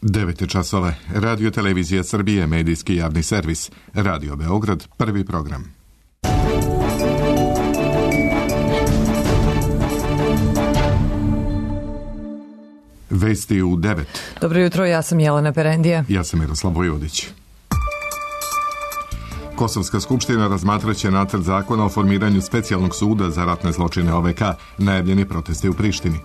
9 časova. Radio Televizija Srbije, medijski javni servis. Radio Beograd, prvi program. Vesti u 9. Dobro jutro, ja sam Jelena Perendija. Ja sam Miroslav Vojvodić. Kosovska skupština razmatraće nacrt zakona o formiranju specijalnog suda za ratne zločine OVK, najavljeni protesti u Prištini.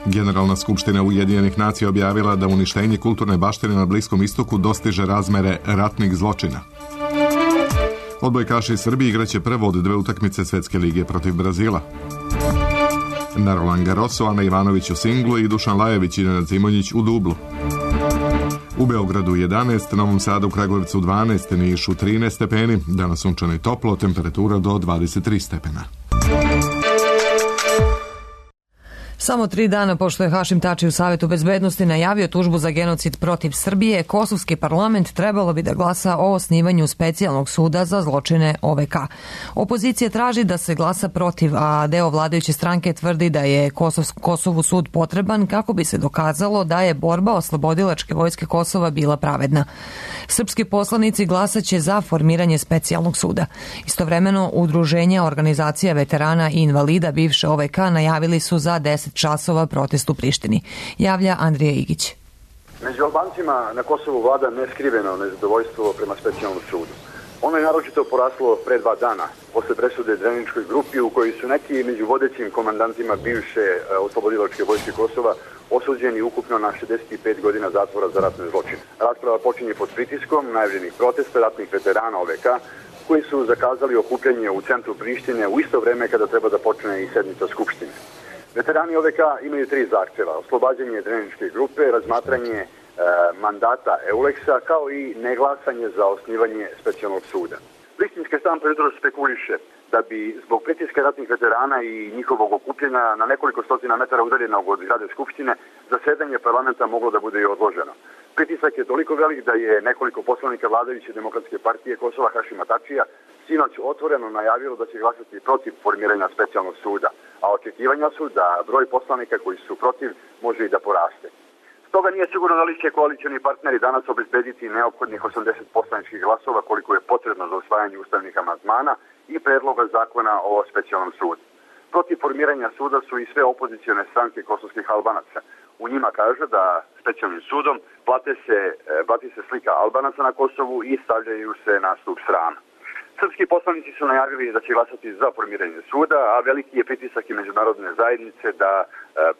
Generalna skupština Ujedinjenih nacija objavila da uništenje kulturne baštine na Bliskom istoku dostiže razmere ratnih zločina. Odbojkaši Srbije igraće prvo od 2 utakmice Svetske lige protiv Brazila. Na Roland Garrosu Ana Ivanović u singlu i Dušan Lajević i Nenad Zimonjić u dublu. U Beogradu 11, Novom Sadu, Kragujevcu 12, Nišu 13 stepeni, danas sunčano i toplo, temperatura do 23 stepena. Samo 3 dana pošto je Hašim Tači u Savetu bezbednosti najavio tužbu za genocid protiv Srbije, kosovski parlament trebalo bi da glasa o osnivanju specijalnog suda za zločine OVK. Opozicija traži da se glasa protiv, a deo vladajuće stranke tvrdi da je Kosovu sud potreban kako bi se dokazalo da je borba oslobodilačke vojske Kosova bila pravedna. Srpski poslanici glasaće za formiranje specijalnog suda. Istovremeno, udruženja organizacija veterana i invalida bivše OVK najavili su za 10 časova protest u Prištini. Javlja Andrija Igić. Među Albancima na Kosovu vlada neskriveno nezadovoljstvo prema specijalnom sudu. Ono je naročito poraslo pre 2 dana, posle presude Dreničkoj grupi u kojoj su neki među vodećim komandantima bivše oslobodilačke vojske Kosova osuđeni ukupno na 65 godina zatvora za ratne zločine. Rasprava počinje pod pritiskom najavljenih protesta ratnih veterana OVK koji su zakazali okupljanje u centru Prištine u isto vreme kada treba da počne i sednica Skupštine. Veterani OVK imaju 3 zahtjeva: oslobađanje Dreničke grupe, razmatranje mandata Euleksa, kao i neglasanje za osnivanje specijalnog suda. Prištinska štampa jutro spekuliše da bi zbog pritiska ratnih veterana i njihovog okupljanja na nekoliko stotina metara udaljenog od zgrade Skupštine zasedanje parlamenta moglo da bude i odloženo. Pritisak je toliko velik da je nekoliko poslanika vladajuće Demokratske partije Kosova Hašima Tačija sinoć otvoreno najavilo da će glasati protiv formiranja specijalnog suda, a očekivanja su da broj poslanika koji su protiv može i da poraste. Stoga nije sigurno da li će koalicioni partneri danas obezbediti neophodnih 80 poslaničkih glasova koliko je potrebno za usvajanje ustavnih amandmana i predloga zakona o specijalnom sudu. Protiv formiranja suda su i sve opozicione stranke kosovskih Albanaca. U njima kaže da specijalnim sudom blati se slika Albanaca na Kosovu i stavljaju se na stup srama. Srpski poslanici su najavili da će glasati za formiranje suda, a veliki je pritisak i međunarodne zajednice da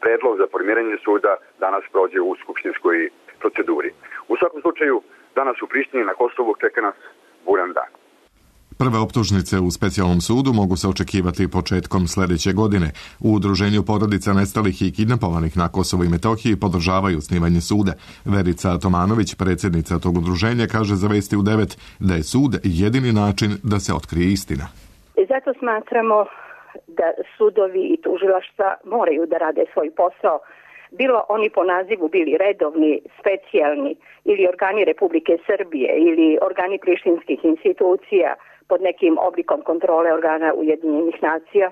predlog za formiranje suda danas prođe u skupštinskoj proceduri. U svakom slučaju, danas u Prištini na Kosovu čeka nas buran dan. Prve optužnice u specijalnom sudu mogu se očekivati početkom sljedeće godine. U udruženju porodica nestalih i kidnapovanih na Kosovu i Metohiji podržavaju osnivanje suda. Verica Tomanović, predsjednica tog udruženja, kaže za Vesti u 9 da je sud jedini način da se otkrije istina. Zato smatramo da sudovi i tužilaštva moraju da rade svoj posao, bilo oni po nazivu bili redovni, specijalni ili organi Republike Srbije ili organi prištinskih institucija pod nekim oblikom kontrole organa Ujedinjenih nacija,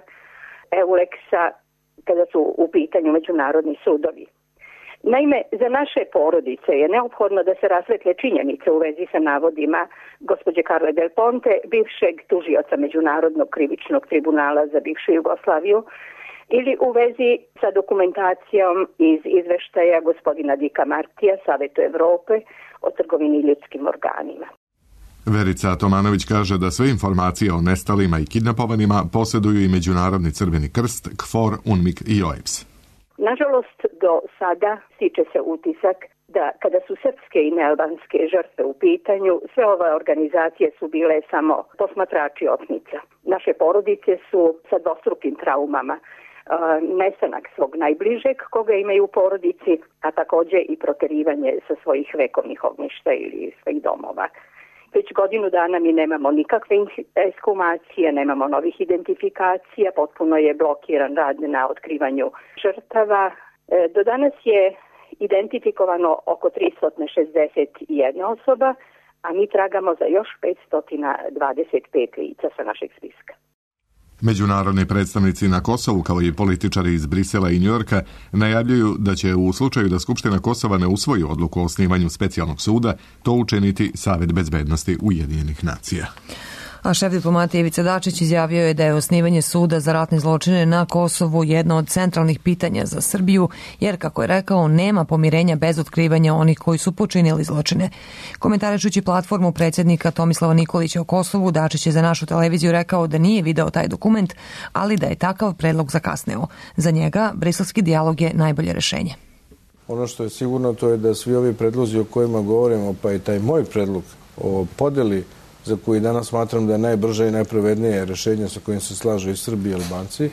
Euleksa, kada su u pitanju međunarodni sudovi. Naime, za naše porodice je neophodno da se rasvetle činjenice u vezi sa navodima gospođe Carle Del Ponte, bivšeg tužioca Međunarodnog krivičnog tribunala za bivšu Jugoslaviju, ili u vezi sa dokumentacijom iz izveštaja gospodina Dika Martija, Savetu Evrope o trgovini ljudskim organima. Verica Tomanović kaže da sve informacije o nestalima i kidnapovanima posjeduju i Međunarodni crveni krst, KFOR, UNMIK i OEBS. Nažalost, do sada stiče se utisak da kada su srpske i nealbanske žrtve u pitanju, sve ove organizacije su bile samo posmatrači otmica. Naše porodice su sa dvostrukim traumama. Nestanak svog najbližeg koga imaju u porodici, a također i proterivanje sa svojih vekovnih ognjišta ili svojih domova. Već godinu dana mi nemamo nikakve ekshumacije, nemamo novih identifikacija, potpuno je blokiran rad na otkrivanju žrtava. Do danas je identifikovano oko 361 osoba, a mi tragamo za još 525 lica sa našeg spiska. Međunarodni predstavnici na Kosovu, kao i političari iz Brisela i Njujorka, najavljuju da će u slučaju da Skupština Kosova ne usvoji odluku o osnivanju specijalnog suda, to učiniti Savet bezbednosti Ujedinjenih nacija. A šef diplomatije Ivica Dačić izjavio je da je osnivanje suda za ratne zločine na Kosovu jedno od centralnih pitanja za Srbiju, jer, kako je rekao, nema pomirenja bez otkrivanja onih koji su počinili zločine. Komentarišući platformu predsjednika Tomislava Nikolića o Kosovu, Dačić je za našu televiziju rekao da nije video taj dokument, ali da je takav predlog zakasneo. Za njega, briselski dijalog je najbolje rešenje. Ono što je sigurno, to je da svi ovi predlozi o kojima govorimo, pa i taj moj predlog o podeli, za koji danas smatram da je najbrže i najpravednije rešenje sa kojim se slažu i Srbi i Albanci,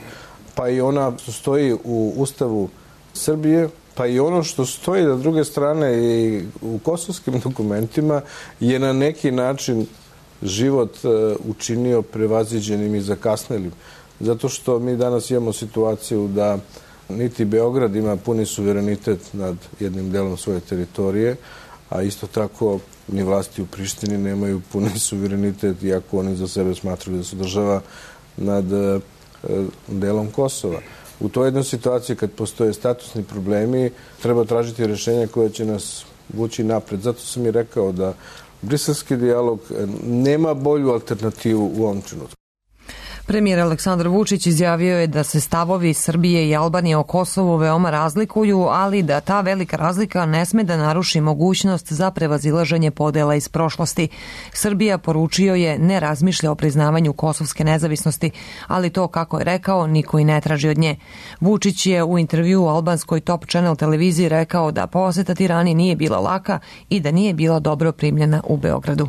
pa i ona što stoji u Ustavu Srbije, pa i ono što stoji na druge strane i u kosovskim dokumentima, je na neki način život učinio prevaziđenim i zakasnelim. Zato što mi danas imamo situaciju da niti Beograd ima puni suverenitet nad jednim delom svoje teritorije, a isto tako ni vlasti u Prištini nemaju puni suverenitet, iako oni za sebe smatraju da su država nad delom Kosova. U toj jednoj situaciji, kad postoje statusni problemi, treba tražiti rešenja koje će nas vući napred. Zato sam i rekao da briselski dijalog nema bolju alternativu u ovom trenutku. Premijer Aleksandar Vučić izjavio je da se stavovi Srbije i Albanije o Kosovu veoma razlikuju, ali da ta velika razlika ne sme da naruši mogućnost za prevazilaženje podela iz prošlosti. Srbija, poručio je, ne razmišlja o priznavanju kosovske nezavisnosti, ali to, kako je rekao, niko i ne traži od nje. Vučić je u intervjuu u albanskoj Top Channel televiziji rekao da poseta Tirani nije bila laka i da nije bila dobro primljena u Beogradu.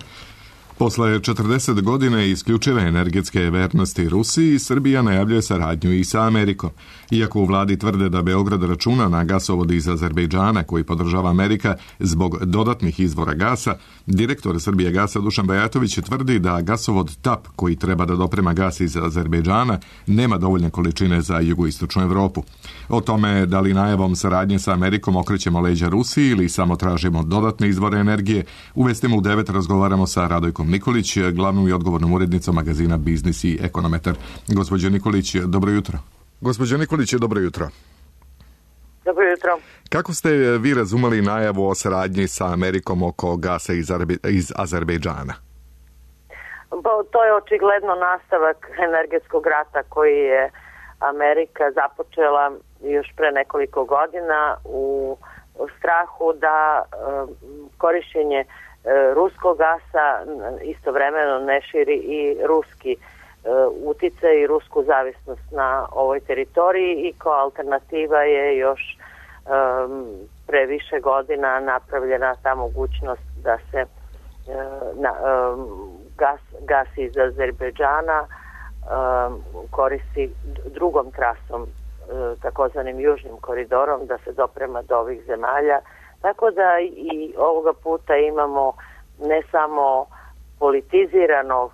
Posle 40 godine isključive energetske vernosti Rusiji, Srbija najavljuje saradnju i sa Amerikom. Iako u vladi tvrde da Beograd računa na gasovod iz Azerbejdžana koji podržava Amerika zbog dodatnih izvora gasa, direktor Srbije gasa Dušan Bajatović tvrdi da gasovod TAP koji treba da doprema gas iz Azerbejdžana nema dovoljne količine za jugoistočnu Evropu. O tome da li najavom saradnje sa Amerikom okrećemo leđa Rusiji ili samo tražimo dodatne izvore energije, u Vestima u 9 razgovaramo sa Radojkom Nikolić, glavnom i odgovornom urednicom magazina Biznis i Ekonometar. Gospođo Nikolić, dobro jutro. Gospođo Nikolić, dobro jutro. Dobro jutro. Kako ste vi razumeli najavu o saradnji sa Amerikom oko gasa iz Azerbejdžana? To je očigledno nastavak energetskog rata koji je Amerika započela još pre nekoliko godina u strahu da korišćenje ruskog gasa istovremeno ne širi i ruski uticaj i rusku zavisnost na ovoj teritoriji i kao alternativa je još pre više godina napravljena ta mogućnost da se gas iz Azerbejdžana koristi drugom trasom, takozvanim južnim koridorom, da se doprema do ovih zemalja. Tako da i ovoga puta imamo ne samo politizirano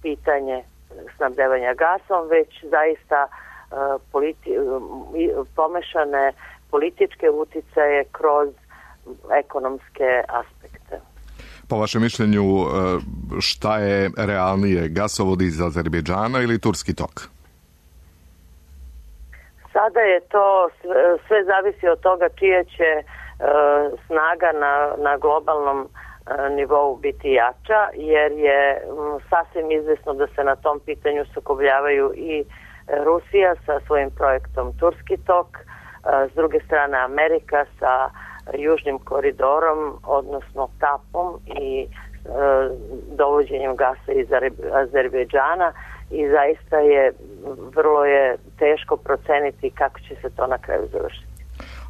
pitanje snabdevanja gasom, već zaista pomešane političke uticaje kroz ekonomske aspekte. Po vašem mišljenju, šta je realnije, gasovod iz Azerbejdžana ili Turski tok? Sada je to sve zavisi od toga čija će snaga na globalnom nivou biti jača, jer je sasvim izvesno da se na tom pitanju sukobljavaju i Rusija sa svojim projektom Turski tok, s druge strane Amerika sa južnim koridorom, odnosno TAP-om i dovođenjem gasa iz Azerbejdžana, i zaista vrlo je teško proceniti kako će se to na kraju završiti.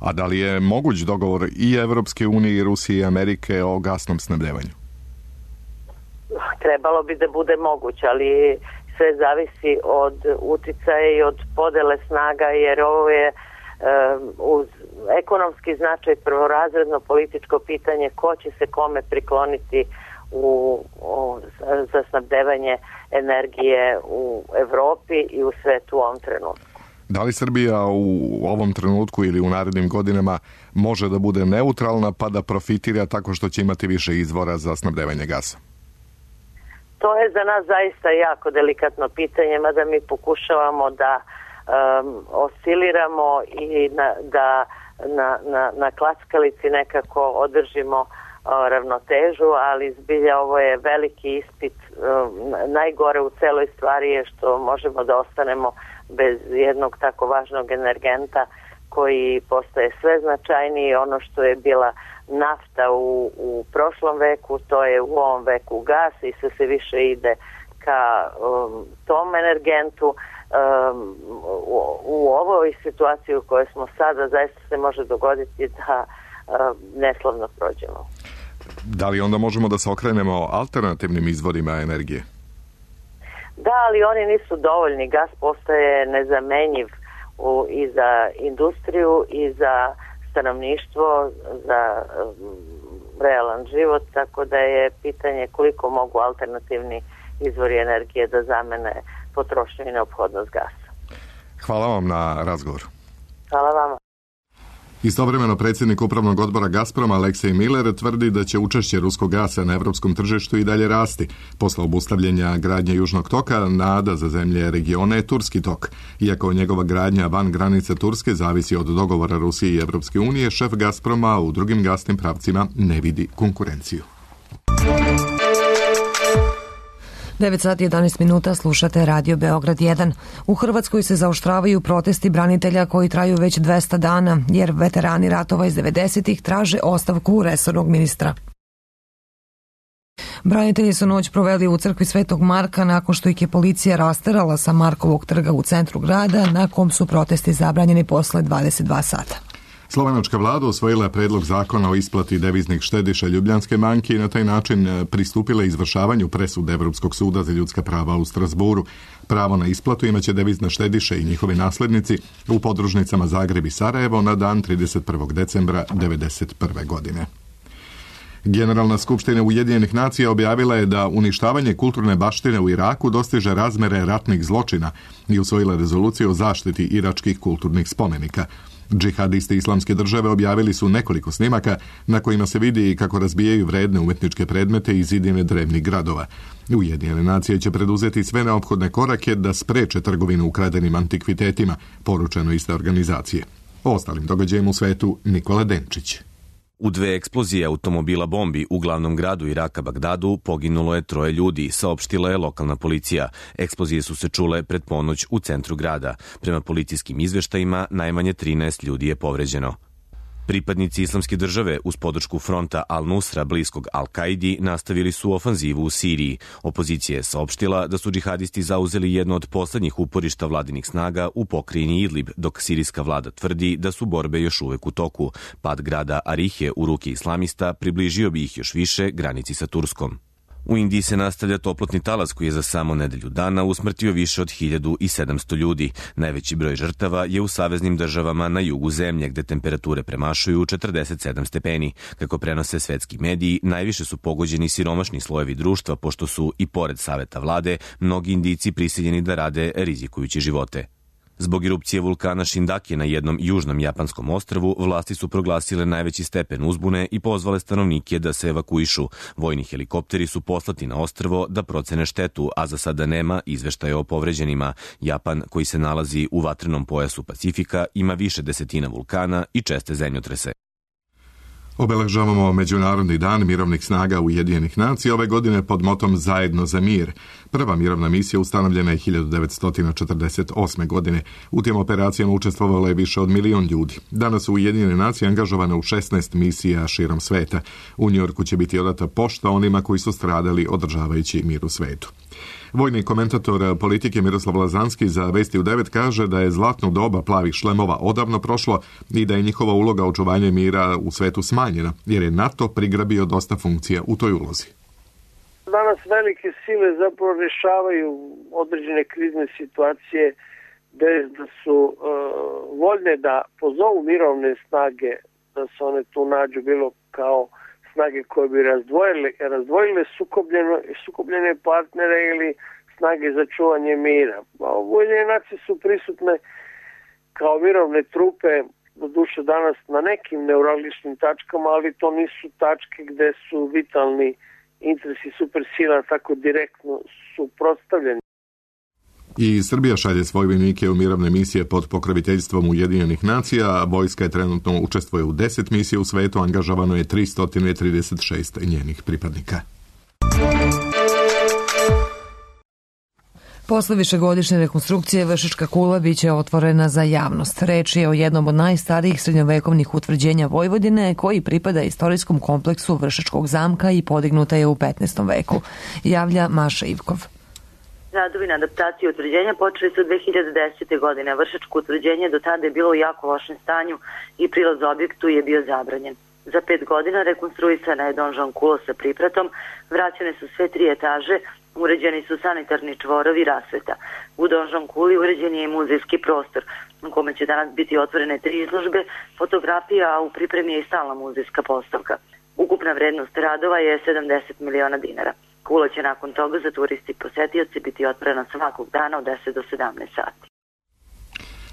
A da li je moguć dogovor i Evropske unije i Rusije i Amerike o gasnom snabdevanju? Trebalo bi da bude moguć, ali sve zavisi od uticaja i od podele snaga, jer ovo je uz ekonomski značaj prvorazredno političko pitanje ko će se kome prikloniti za snabdevanje energije u Evropi i u svetu u ovom trenutku. Da li Srbija u ovom trenutku ili u narednim godinama može da bude neutralna pa da profitira tako što će imati više izvora za snabdevanje gasa? To je za nas zaista jako delikatno pitanje, mada mi pokušavamo da osciliramo i da na klackalici nekako održimo ravnotežu, ali zbilja ovo je veliki ispit. Najgore u celoj stvari je što možemo da ostanemo bez jednog tako važnog energenta koji postaje sve značajniji. Ono što je bila nafta u prošlom veku, to je u ovom veku gas i sve više ide ka tom energentu. U ovoj situaciji u kojoj smo sada zaista se može dogoditi da neslavno prođemo. Da li onda možemo da se okrenemo alternativnim izvorima energije? Da, ali oni nisu dovoljni. Gas postaje nezamenjiv i za industriju i za stanovništvo, za realan život, tako da je pitanje koliko mogu alternativni izvori energije da zamene potrošnju i neophodnost gasa. Hvala vam na razgovor. Hvala vama. Istovremeno predsjednik upravnog odbora Gazproma Aleksej Miller tvrdi da će učešće ruskog gasa na evropskom tržištu i dalje rasti. Posle obustavljanja gradnje Južnog toka, nada za zemlje regiona je Turski tok. Iako njegova gradnja van granice Turske zavisi od dogovora Rusije i Evropske unije, šef Gazproma u drugim gasnim pravcima ne vidi konkurenciju. 9 sati 11 minuta, slušate Radio Beograd 1. U Hrvatskoj se zaoštravaju protesti branitelja koji traju već 200 dana, jer veterani ratova iz 90-ih traže ostavku resornog ministra. Branitelji su noć proveli u crkvi Svetog Marka nakon što ih je policija rasterala sa Markovog trga u centru grada, na kom su protesti zabranjeni posle 22 sata. Slovenačka vlada usvojila je predlog zakona o isplati deviznih štediša Ljubljanske banke i na taj način pristupila izvršavanju presude Evropskog suda za ljudska prava u Strasburu. Pravo na isplatu imaće devizne štediše i njihovi naslednici u podružnicama Zagreb i Sarajevo na dan 31. decembra 1991. godine. Generalna skupština Ujedinjenih nacija objavila je da uništavanje kulturne baštine u Iraku dostiže razmere ratnih zločina i usvojila rezoluciju o zaštiti iračkih kulturnih spomenika. Džihadisti Islamske države objavili su nekoliko snimaka na kojima se vidi kako razbijaju vredne umetničke predmete i zidine drevnih gradova. Ujedinjene nacije će preduzeti sve neophodne korake da spreče trgovinu ukradenim antikvitetima, poručeno iste organizacije. O ostalim događajima u svetu Nikola Denčić. U 2 eksplozije automobila bombi u glavnom gradu Iraka Bagdadu poginulo je 3 ljudi, saopštila je lokalna policija. Eksplozije su se čule pred ponoć u centru grada. Prema policijskim izveštajima, najmanje 13 ljudi je povređeno. Pripadnici Islamske države uz podršku fronta Al-Nusra bliskog Al-Kaidi nastavili su ofanzivu u Siriji. Opozicija je saopštila da su džihadisti zauzeli jedno od poslednjih uporišta vladinih snaga u pokrajini Idlib, dok sirijska vlada tvrdi da su borbe još uvek u toku. Pad grada Arihe u ruke islamista približio bi ih još više granici sa Turskom. U Indiji se nastavlja toplotni talas koji je za samo nedelju dana usmrtio više od 1700 ljudi. Najveći broj žrtava je u saveznim državama na jugu zemlje, gde temperature premašuju 47 stepeni. Kako prenose svetski mediji, najviše su pogođeni siromašni slojevi društva, pošto su, i pored saveta vlade, mnogi Indijci prisiljeni da rade rizikujući živote. Zbog erupcije vulkana Shindake na jednom južnom japanskom ostrvu, vlasti su proglasile najveći stepen uzbune i pozvale stanovnike da se evakuišu. Vojni helikopteri su poslati na ostrvo da procene štetu, a za sada nema izveštaja o povređenima. Japan, koji se nalazi u vatrenom pojasu Pacifika, ima više desetina vulkana i česte zemljotrese. Obeležavamo Međunarodni dan mirovnih snaga Ujedinjenih nacija ove godine pod motom Zajedno za mir. Prva mirovna misija ustanovljena je 1948. godine. U tim operacijama učestvovalo je više od 1 milion ljudi. Danas su Ujedinjene nacije angažovane u 16 misija širom sveta. U Njujorku će biti odata pošta onima koji su stradali održavajući mir u svetu. Vojni komentator politike Miroslav Lazanski za Vesti u 9 kaže da je zlatno doba plavih šlemova odavno prošlo i da je njihova uloga očuvanja mira u svetu smanjena, jer je NATO prigrabio dosta funkcija u toj ulozi. Danas velike sile zapravo rešavaju određene krizne situacije bez da su voljne da pozovu mirovne snage, da se one tu nađu bilo kao snage koje bi razdvojile sukobljene partnere ili snage za čuvanje mira. Ujedinjene nacije su prisutne kao mirovne trupe, doduše danas na nekim neuralgičnim tačkama, ali to nisu tačke gde su vitalni interesi supersila tako direktno suprotstavljeni. I Srbija šalje svoje vojnike u mirovne misije pod pokroviteljstvom Ujedinjenih nacija, a vojska je trenutno učestvuje u 10 misija u svetu, angažovano je 336 njenih pripadnika. Posle višegodišnje rekonstrukcije Vršačka kula biće otvorena za javnost. Reč je o jednom od najstarijih srednjovekovnih utvrđenja Vojvodine koji pripada istorijskom kompleksu Vršačkog zamka i podignuta je u 15. veku. Javlja Maša Ivkov. Radovi na adaptaciju utvrđenja počeli su 2010. godine. Vršačko utvrđenje do tada je bilo u jako lošem stanju i prilaz objektu je bio zabranjen. Za 5 godina rekonstruisana je donžon kula sa pripratom, vraćene su sve 3 etaže, uređeni su sanitarni čvorovi i rasveta. U donžon kuli uređen je i muzejski prostor, u kome će danas biti otvorene 3 izložbe, fotografija, a u pripremi je i stalna muzejska postavka. Ukupna vrednost radova je 70 miliona dinara. Kula će nakon toga za turisti i posetioci biti otvorena svakog dana od 10 do 17 sati.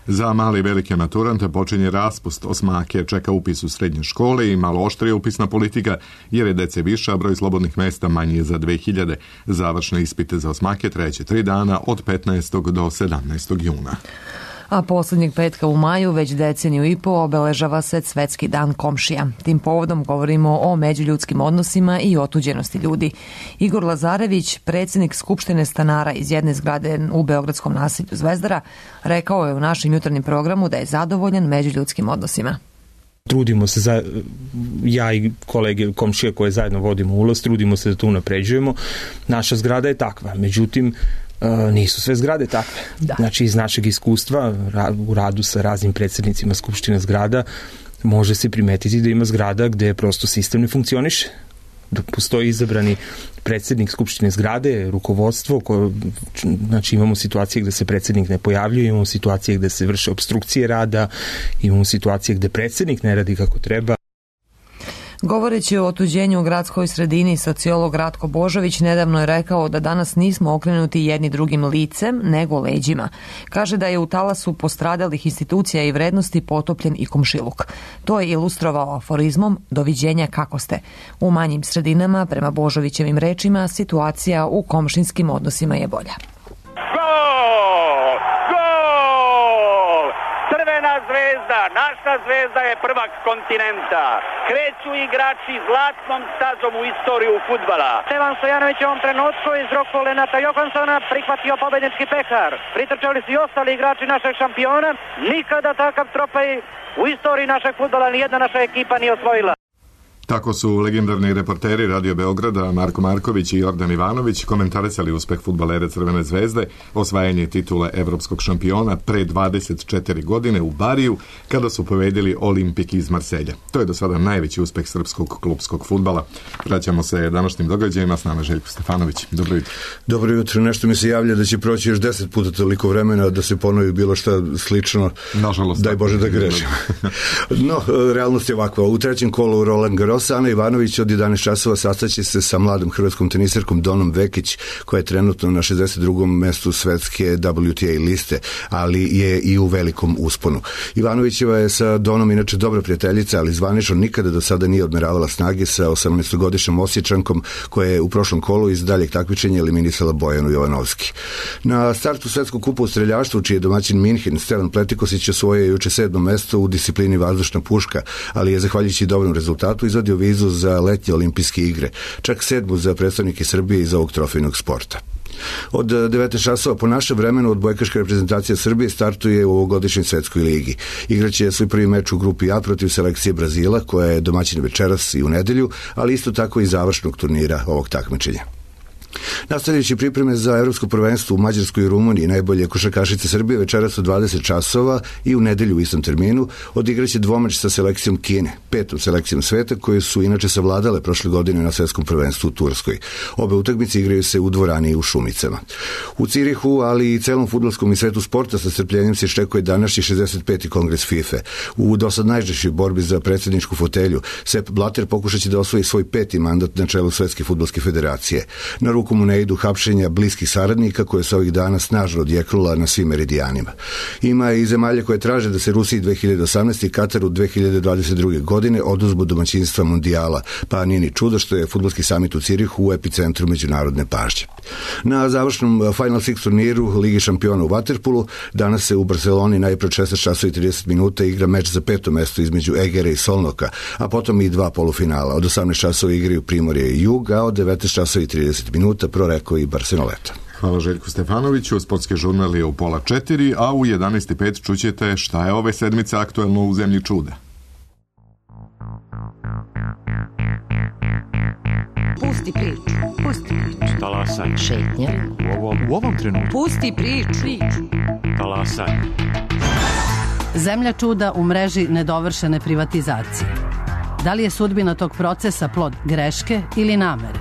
Za male i velike maturante počinje raspust. Osmake čeka upis u srednje škole i malo oštrija upisna politika, jer je dece više, a broj slobodnih mesta manji je za 2000. Završne ispite za osmake trajeće 3 dana od 15. do 17. juna. A posljednjeg petka u maju, već deceniju i po, obeležava se Svetski dan komšija. Tim povodom govorimo o međuljudskim odnosima i otuđenosti ljudi. Igor Lazarević, predsjednik Skupštine stanara iz jedne zgrade u beogradskom naselju Zvezdara, rekao je u našem jutarnjem programu da je zadovoljan međuljudskim odnosima. Trudimo se, ja i kolege komšije koje zajedno vodimo ulaz, trudimo se da to unapređujemo. Naša zgrada je takva, međutim, nisu sve zgrade takve. Da. Znači, iz našeg iskustva u radu sa raznim predsjednicima Skupštine zgrada može se primetiti da ima zgrada gde prosto sistem ne funkcioniše. Dok postoji izabrani predsjednik Skupštine zgrade, rukovodstvo, znači imamo situacije gde se predsjednik ne pojavljuje, imamo situacije gde se vrše opstrukcije rada, imamo situacije gde predsjednik ne radi kako treba. Govoreći o otuđenju u gradskoj sredini, sociolog Ratko Božović nedavno je rekao da danas nismo okrenuti jedni drugim licem, nego leđima. Kaže da je u talasu postradalih institucija i vrednosti potopljen i komšiluk. To je ilustrovao aforizmom "Doviđenja kako ste". U manjim sredinama, prema Božovićevim rečima, situacija u komšinskim odnosima je bolja. Zvezda, naša zvezda je prvak kontinenta. Kreću igrači zlatnom stazom u istoriju fudbala. Stevan Stojanović u ovom trenutku iz ruku Lenata Johansona prihvatio pobednički pehar. Pritrčali su i ostali igrači našeg šampiona. Nikada takav trofej u istoriji našeg fudbala nijedna naša ekipa nije osvojila. Tako su legendarni reporteri Radio Beograda Marko Marković i Jordan Ivanović komentarisali uspeh fudbalera Crvene zvezde, osvajanje titule evropskog šampiona pre 24 godine u Bariju, kada su pobedili Olimpik iz Marselja. To je do sada najveći uspeh srpskog klupskog fudbala. Vraćamo se današnjim događajima, s nama Željko Stefanović. Dobro jutro. Dobro jutro. Nešto mi se javlja da će proći još 10 puta toliko vremena da se ponovi bilo šta slično. Nažalost. Daj Bože da grešim. No, realnost je ovakva. U trećem kolu Roland Garros Ana Ivanović od 11 časova sastaće se sa mladom hrvatskom tenisirkom Donom Vekić, koja je trenutno na 62. mestu svetske WTA liste, ali je i u velikom usponu. Ivanovićeva je sa Donom inače dobra prijateljica, ali zvanično nikada do sada nije odmeravala snage sa 18-godišnjom Osječankom, koja je u prošlom kolu iz daljeg takmičenja eliminisala Bojanu Jovanovski. Na startu svetskog kupa u streljaštvu, čiji je domaćin Minhen, Stevan Pletikosić osvojio juče 7. mesto u disciplini vazdušna puška, ali je zahvaljujući dobrom rezultatu izvadio vizu za letnje olimpijske igre, čak 7. za predstavnike Srbije iz ovog trofejnog sporta. Od 9 časova po našem vremenu odbojkaška reprezentacija Srbije startuje u ovogodišnjoj svetskoj ligi. Igraće svoj prvi meč u grupi A protiv selekcije Brazila, koja je domaćin večeras i u nedelju, ali isto tako i završnog turnira ovog takmičenja. Nastavljajući pripreme za evropsko prvenstvo u Mađarskoj i Rumuniji, najbolje košarkašice Srbije večeras u 20 časova i u nedelju u istom terminu odigraće dvomeč sa selekcijom Kine, 5. selekcijom sveta, koje su inače savladale prošle godine na svetskom prvenstvu u Turskoj. Obe utakmice igraju se u dvorani u Šumicama. U Cirihu, ali i celom fudbalskom i svetu sporta sa strpljenjem se iščekuje današnji 65. kongres FIFA. U dosad najžešćoj borbi za predsjedničku fotelju Sepp Blatter pokušaće da osvoji svoj 5. mandat na čelu Svetske fudbalske federacije. Na ruku rukom mu ne idu hapšenja bliskih saradnika koje se ovih dana snažno odjeknula na svim meridijanima. Ima i zemalja koje traže da se Rusiji 2018. i Kataru 2022. godine oduzmu domaćinstva mundijala, pa nije ni čudo što je fudbalski samit u Cirihu u epicentru međunarodne pažnje. Na završnom Final Six turniru Ligi šampiona u vaterpolu danas se u Barceloni najpre 16:30 igra meč za 5. mesto između Egera i Solnoka, a potom i 2 polufinala. Od 18 časova igraju Primorje i Jug, a od 19:30 Proreko i Barceloneta. Hvala Željku Stefanoviću. Sportski žurnal je u 3:30, a u 11:05 čućete šta je ove sedmice aktuelno u zemlji čuda. Pusti priču. Pusti priču. Talasaj. Šetnja. U ovom trenutku. Pusti priču. Talasaj. Zemlja čuda u mreži nedovršene privatizacije. Da li je sudbina tog procesa plod greške ili namere?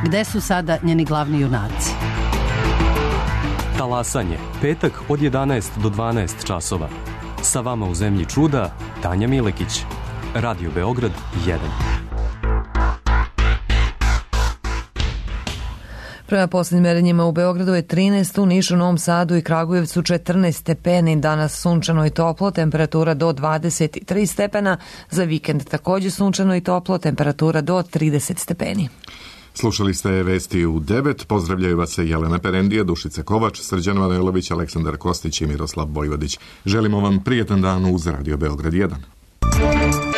Gde su sada njeni glavni junaci? Talasanje, petak od 11 do 12 časova. Sa vama u zemlji čuda, Tanja Milekić. Radio Beograd 1. Prema posljednjim merenjima u Beogradu je 13, u Nišu, Novom Sadu i Kragujevcu 14 stepeni, danas sunčano i toplo, temperatura do 23 stepena, za vikend također sunčano i toplo, temperatura do 30 stepeni. Slušali ste vesti u 9, pozdravljaju vas se Jelena Perendija, Dušica Kovač, Srđan Manojlović, Aleksandar Kostić i Miroslav Vojvodić. Želimo vam prijetan dan uz Radio Beograd 1.